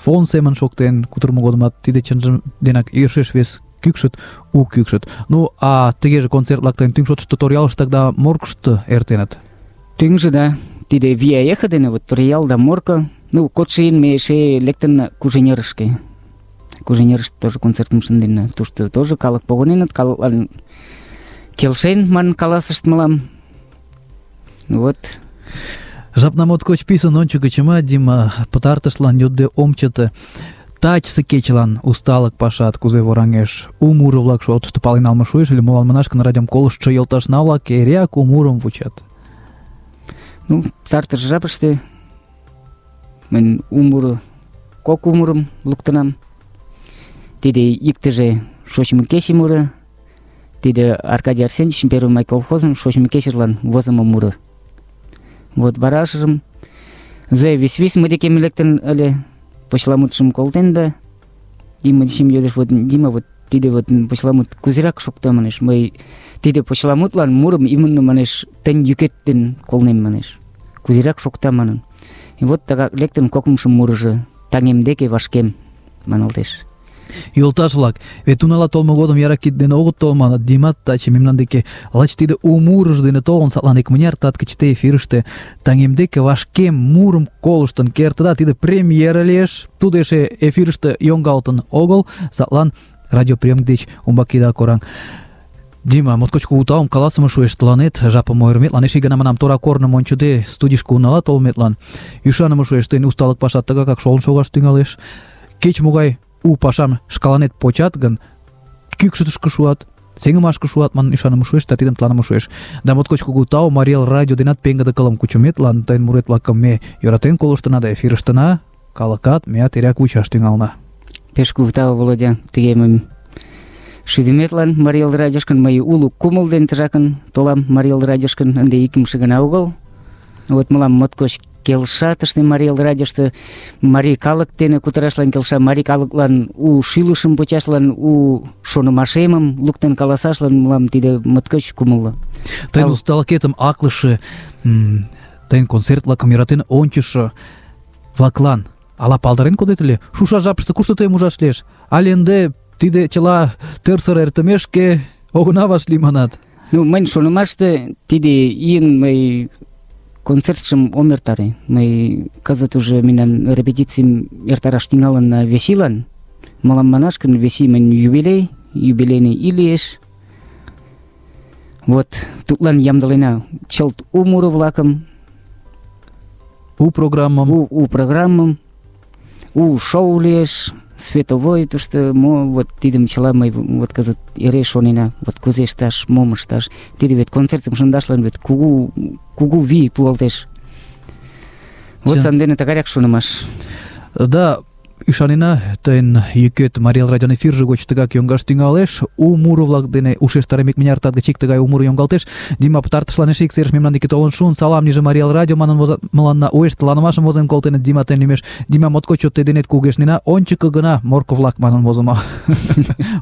фон семын шоктен кутырымо годымат тиде чынжым денак йӧршеш вес кӱкшыт, у кӱкшыт. А тыгеже концерт-влак тыйын тӱҥ шотышто Торъялыш тогда Моркышто эртеныт? Тӱҥжӧ, да. Тиде вия эхо дене вот Торъял да Морко. Кодшо ийын ме эше лектынна Куженерышке. Куженерыште тоже концертым шынденна. Тушто тоже калык погыненыт, калыклан келшен манын каласышт мылам. Вот. Жапна моткоч писын ончыко чыма, Дима, пытартышлан йодде ом чыте. Тачысе кечылан усталык пашат кузе вораҥеш? У муро-влак шотышто пален налме шуэш, или молан манаш гын радиом колыштшо йолташна-влак эреак у мурым вучат? Пытартыш жапыште мынь кок у мурым луктынам. Тиде иктыже шочмо кече муро, тиде Аркадий Арсеньевичын Первый май колхозын шочмо кечыжлан возымо муро. Вот варашыжым Зоя вис-вис мый декем лектын ыле, почеламутшым колтен да, и мый дечем йодеш, вот Дима, вот тиде вот почеламут кузерак шокта, манеш, мый тиде почеламутлан мурым именно, манеш, тынь йӱкет ден колнем, манеш, кузерак шокта манын. И вот тыгак лектын кокымшо мурыжо «Таҥем деке вашкем» маналтеш. Йолташ-влак, вет унала толмо годым яра кид дене огыт тол маныт. Димат таче мемнан деке лач тиде у мурыж дене толын, садлан икмыняр тат кычыте эфирыште «Таҥем деке вашкем» мурым колыштын кертыда. Тиде премьера лиеш. Тудо эше эфирыште йоҥгалтын огыл, садлан радиоприемник деч умбак ида кораҥ. Дима, моткоч кугу таум каласыме шуэш тыланет, жапым ойырыметлан, эше ик гана манам, тора корным ончыде студийышке унала толметлан. Ӱшаныме шуэш, тыйын усталык пашат тыгакак шолын шогаш тӱҥалеш. Кеч-могай у пашам шкаланет почат гын, кӱкшытышкӧ шуат, сеҥымашке шуат манын ӱшаныме шуэш, да тидым тыланыме шуэш. Да моткоч кугу тау Марий Эл радио денат пеҥгыде кылым кучыметлан, тыйын мурет-влакым ме йӧратен колыштына да эфирыштына, калыкат меат эреак вучаш тӱҥалына. Пеш кугу тау, Володя, тыге мыйым шӱдыметлан Марий Эл радиошкын мый уло кумыл ден тыжакын толам Марий Эл радиошкын ынде икымше гана огыл. Вот мылам моткоч келша тыште Марий Эл радиошто марий калык дене кутырашлан келша, марий калыклан у шӱлышым почашлан, у шонымашемым луктын каласашлан мылам тиде моткоч кумылло. Тыйын усталыкетым аклыше, тыйын концерт-влакым йӧратен ончышо влаклан ала палдарен кодет ыле? Шуша жапыште кушто тыйым ужаш лиеш? Але ынде тиде чыла тӧрсыр эртымешке огына вашлий манат? Ну, мыйын шонымаште тиде ийын мый концертшым ом эртаре. Мый кызыт уже мемнан репетицийым эртараш тӱҥалынна весилан. Мылам манаш гын, веси мыйын юбилейный ий лиеш. Вот, тудлан ямдылена чылт у муро-влакым, У программам. У программым, у шоу лиеш, световой, тушто мо, вот тидым чыла мый вот кызыт эре шонена, вот кузе ышташ, мом ышташ. Тиде вет концертым шындашлан вет кугу вий пуалтеш. Вот сандене тыгаяк шонымаш. Да, ӱшанена, тыйын йӱкет Марий Эл радион эфирже гоч тыгак йоҥгаш тӱҥалеш. У муро-влак дене ушештарем икмыняр тат гыч ик тыгай у муро йоҥгалтеш. Дима пытартышлан эше ик серыш мемнан деке толын шуын. Салам лийже Марий Эл радио манын мыланна уэш тыланымашым возен колтеныт Дима тыйын лӱмеш. Дима, моткоч чот тый денет кугешнена. Ончыко гына Морко-влак манын возымо.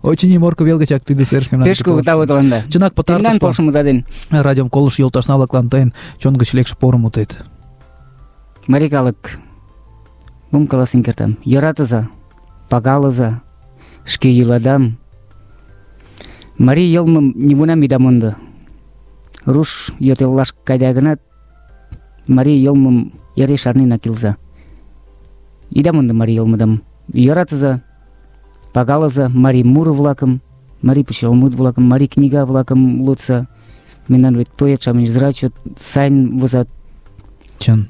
Очыни Морко вел гычак тиде серыш мемнан Пеш кугу тау тыланда. Чынак Тендан полшымыда ден. Радиом колыштшо йолташна-влаклан тыйын чон гыч лекше порым мутет. Марий калык, мом каласен кертам? Йӧратыза, пагалыза, шке йӱладам. Марий йылмым нигунам ида мондо. Руш йот-эллаш кайда гынат, марий йылмым эре шарненак илыза. Ида мондо марий йылмыдам. Йӧратыза, пагалыза марий муро-влакым, марий почеламут-влакым, марий книга-влакым лудса. Мемнан вет поэт-шамыч зрачот сайын возат. Чын.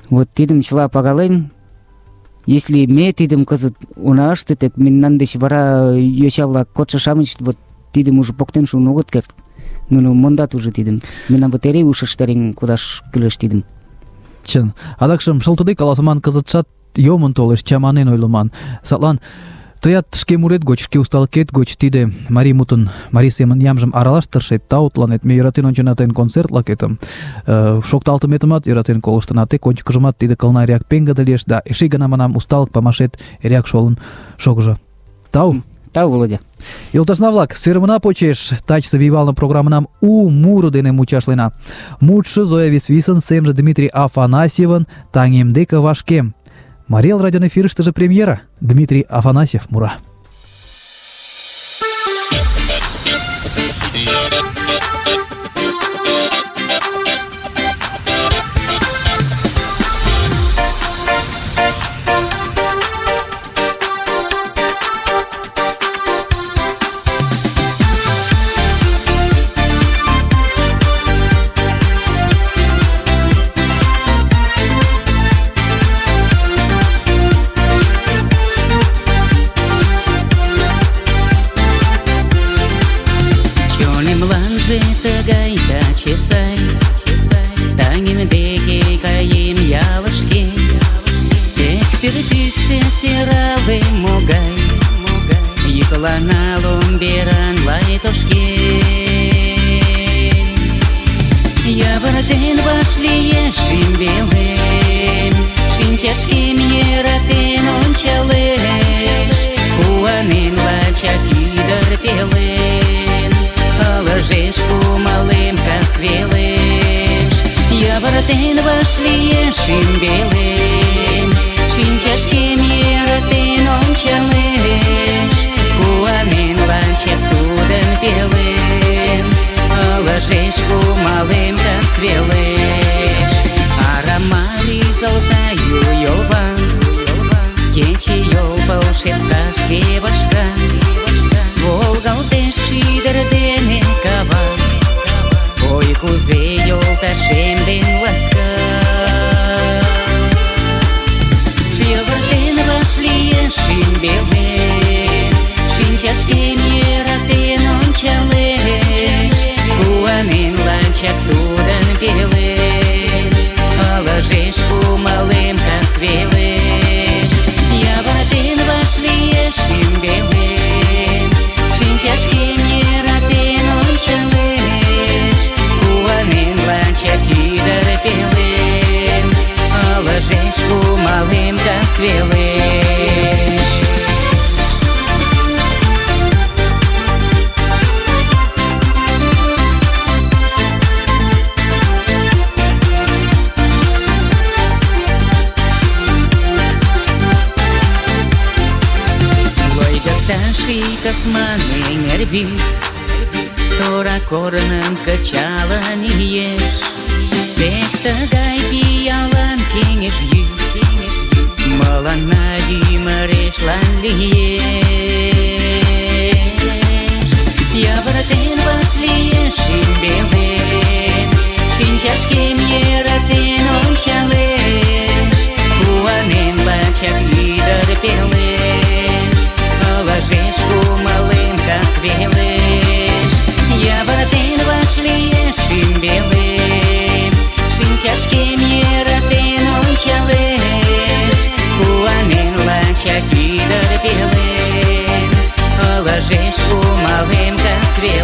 Вот тидым чыла пагален, если ме тидым кызыт она ыштет, мемнан деч вара йоча-влак, кодшо-шамыч вот тидым уже поктен шуын огыт керт. Нуно мондат уже тидым. Мемнан вот эре ушыштарен кодаш кӱлеш тидым. Чын. Адакшым шылтыде каласыман кызытшат йомын толеш, чаманен ойлыман. Садлан тыят шке мурет гоч, шке усталыкет гоч тиде марий мутын, марий семын ямжым аралаш тыршет, тау тыланет. Ме йӧратен ончена тыйын концерт-влакетым, шокталтыметымат йӧратен колыштына, тек ончыкыжымат тиде кылнарияк пеҥгыде лиеш, да эше гана манам, усталык памашет эреак шолын шогыжо. Тау. Тау, Володя. Йолташна-влак, сӧрымына почеш тачысе вийвалне программынам у муро дене мучашлена. Мутшо Зоя Висвисын, семже Дмитрий Афанасьевын «Таҥем деке вашкем». Марий Эл радион эфирыштыже премьера. Дмитрий Афанасьев мура. Тыгай таче сай, таҥем деке каем ялышке. Тек пӱртӱсшӧ сӧрале могай, йӱклана ломберан лай тошкен. Йывыртен вашлиеш шӱмбелем, шинчашкем йӧратен ончалеш, куанен лачак ӱдыр пелен. Ылыжеш кумылем кас велеш, йывыртен вашлиеш шӱмбелем, шинчашкем йӧратен ончалеш, куанен лачак тудын пелен. Ылыжеш кумылем кас велеш. Арама лизылтаю йолван, кечыйол пыл шепкашке вашка. Волгалтеш шӱдыр дене кава, ой, кузе йолташем ден ласка. Йывыртен вашлиеш шӱмбелем, шинчашкем йӧратен ончалеш, куанен лачак тудын пелен. Ылыжеш кумылем кас велеш. Йывыртен вашлиеш шӱмбелем, шинчашкем йӧратен ончалеш, куанен лачак ӱдыр пелен. велеш. Ташиkas manen erbit, Тора корнын кычалын иеш, Тек тыгай пиалан кеҥеж йӱд мыланна ӱмырешлан лиеш. Йывыртен вашлиеш шӱмбелем, шинчашкем йӧратен ончалеш, куанен лачак ӱдыр пелен. Ылыжеш кумылем кас велеш, Йывыртен вашлиеш шӱмбелем, шинчашкем йӧратен ончалеш, куанен лачак ӱдыр пелен. Ылыжеш кумылем кас велеш.